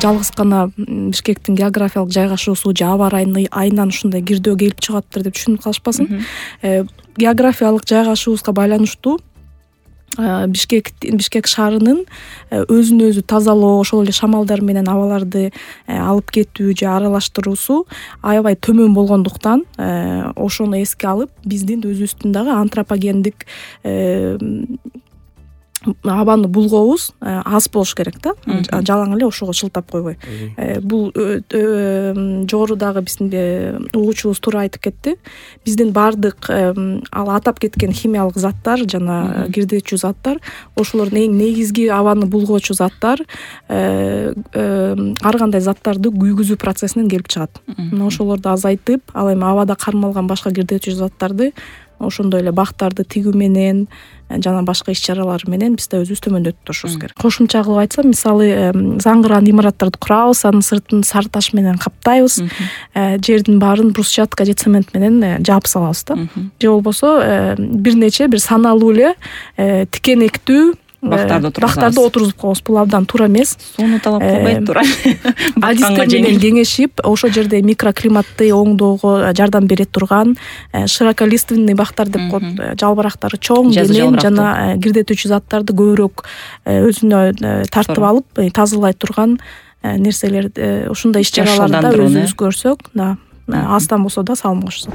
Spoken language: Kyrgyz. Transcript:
жалгыз гана Бишкектин географиялык жайгашуусу же аба айынан ушундай кирдөө келип чыгаптыр деп түшүнүп калышпасын. Географиялык жайгашуубузга байланыштуу Бишкек шаарынын өзүн өзү тазалоо, ошол эле шамалдар менен абаларды алып кетүү же аралаштыруусу аябай төмөн болгондуктан ошону эске алып биздин өзүбүздүн дагы антропогендик абаны булгообуз аз болуш керек да. Жалаң эле ошого шылтап койбой. Бул жогорудагы биздин угуучубуз туура айтып кетти. Биздин баардык ал атап кеткен химиялык заттар жана кирдечүү заттар, ошолордун эң негизги абаны булгоочу заттар ар кандай заттарды күйгүзүү процессинен келип чыгат. Ошолорду азайтып, ал эми абада кармалган башка кирдечүү заттарды ошондой эле бактарды тигүү менен жана башка иш-чаралар менен биз да өзүбүз төмөндөтүп турушубуз керек. Кошумча кылып айтсам, мисалы заңгырган имараттарды курабыз, анын сыртын сары таш менен каптайбыз, жердин баарын брусчатка же цемент менен жаап салабыз да. Же болбосо бир саналуу эле тикенектүү бактарды отургузуп коебуз. Бул абдан туура эмес. Сууну талап кылбайт, туура. Адистер менен кеңешип, ошол жерде микроклиматты оңдоого жардам бере турган широколиственный бактар деп коет, жалбырактары чоң, денем жана кирдетүүчү заттарды көбүрөөк өзүнө тартып алып, тазалай турган нерселер, ушундай иш-чараларды өзүбүз көрсөк, аздан болсо да салым кошсок.